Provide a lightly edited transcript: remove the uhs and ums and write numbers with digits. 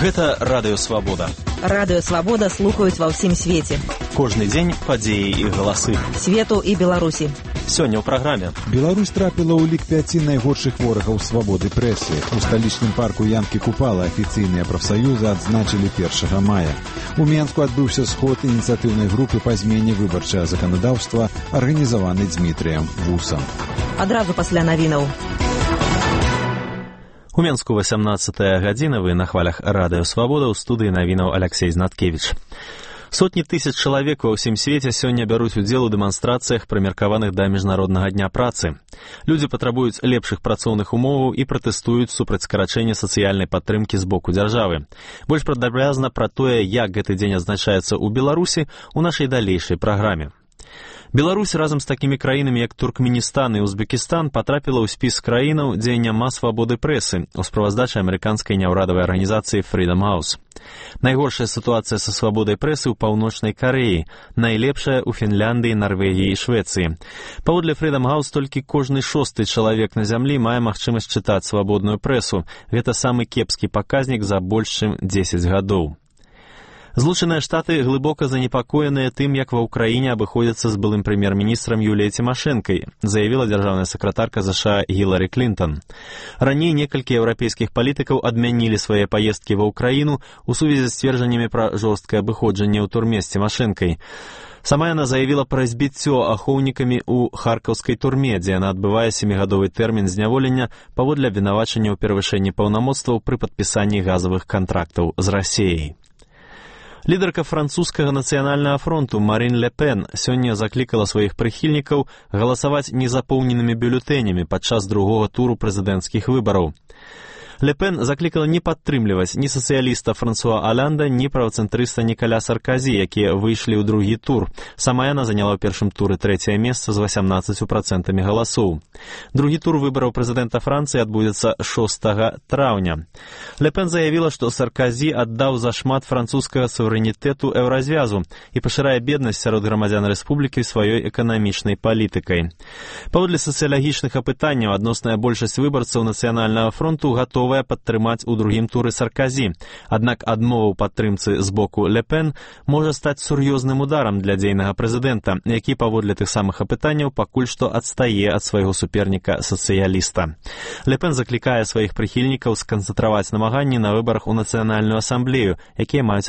Гэта Радыё Свабода. Радыё Свабода слухаюць ва ўсім свеце. Кожны дзень падзеі і галасы. Свету і Беларусі. Сёння ў праграме. Беларусь трапіла ў лік 5 найгоршых ворагаў свабоды прэсы. У сталічным парку Янкі Купала афіцыйныя прафсаюзы адзначылі 1 мая. У Менску адбыўся сход ініцыятыўнай групы па змене выбарчага заканадаўства, арганізаваны Дзмітрыем Вусам. Адразу пасля навінаў. У Менску 18 гадзіна, вы на хвалях Радыё Свабода, ў студыі навінаў Аляксей Знаткевіч. Сотні тысяч чалавек ва ўсім свеце сёння бяруць удзел у дэманстрацыях, прымеркаваных да Міжнароднага дня працы. Людзі патрабуюць лепшых працоўных умоваў і пратэстуюць супраць скарачэння сацыяльнай падтрымкі з боку дзяржавы. Больш падрабязна пра тое, як гэты дзень адзначаецца ў Беларусі, у нашай далейшай праграме. Беларусь разам з такімі краінамі, як Туркменістан і Узбекістан, патрапіла ў спіс краінаў, дзе няма свабоды прэсы, у справаздачы амерыканскай няўрадавай арганізацыі Freedom House. Найгоршая сітуацыя са свабодай прэсы ў Паўночнай Карэі, найлепшая ў Фінляндыі, Нарвегіі і Швецыі. Паводле Freedom House толькі кожны 6-й чалавек на зямлі мае магчымасць чытаць свабодную прэсу. Гэта самы кепскі паказнік за больш чым 10 гадоў. Злучаныя Штаты глыбока занепакоеныя тым, як ва ўкраіне абыходзяцца з былым прэм'ер-міністрам Юліяй Цімашэнкай, заявіла дзяржаўная сакратарка США Гілары Клінтон. Раней некалькі еўрапейскіх палітыкаў адмянілі свае паездкі ва ўкраіну ў сувязі з сцверджаннямі пра жорсткае абыходжанне ў турме з Цімашэнкай. Сама яна заявіла пра збіццё ахоўнікамі ў харкаўскай турме, дзе яна адбывае 7-гадовы тэрмін зняволення паводле абвінавачання ў перавышэнні паўнамоцтваў пры падпісанні газавых кантрактаў з Расіяй. Лідарка французскага нацыянальнага фронту Марін Ле Пен сёння заклікала сваіх прыхільнікаў галасаваць незапоўненымі бюлетэнямі падчас другога туру прэзідэнцкіх выбараў. Ле Пен заклікала не падтрымліваць ні сацыяліста Франсуа Алянда, ні правацэнтрыста Нікаля Сарказі, якія выйшлі ў другі тур. Сама яна заняла ў першым туры 3-е месца з 18% галасоў. Другі тур выбараў прэзідэнта Францыі адбудзецца 6 траўня. Ле Пен заявіла, што Сарказі аддаў зашмат французскага суверэнітэту еўразвязу і пашырае беднасць сярод грамадзян рэспублікі сваёй эканамічнай палітыкай. Паводле сацыялагічных апытанняў, адносная большасць выбарцаў нацыянальнага фронту гатова падтрымаць у другім туры Сарказі. Аднак адмова ў падтрымцы з боку Ле Пен можа стаць сур'ёзным ударам для дзейнага прэзідэнта, які паводле тых самых апытанняў пакуль што адстае ад свайго суперніка сацыяліста. Ле Пен заклікае сваіх прыхільнікаў сканцэнтраваць намаганні на выбарах у Нацыянальную асамблею, якія маюць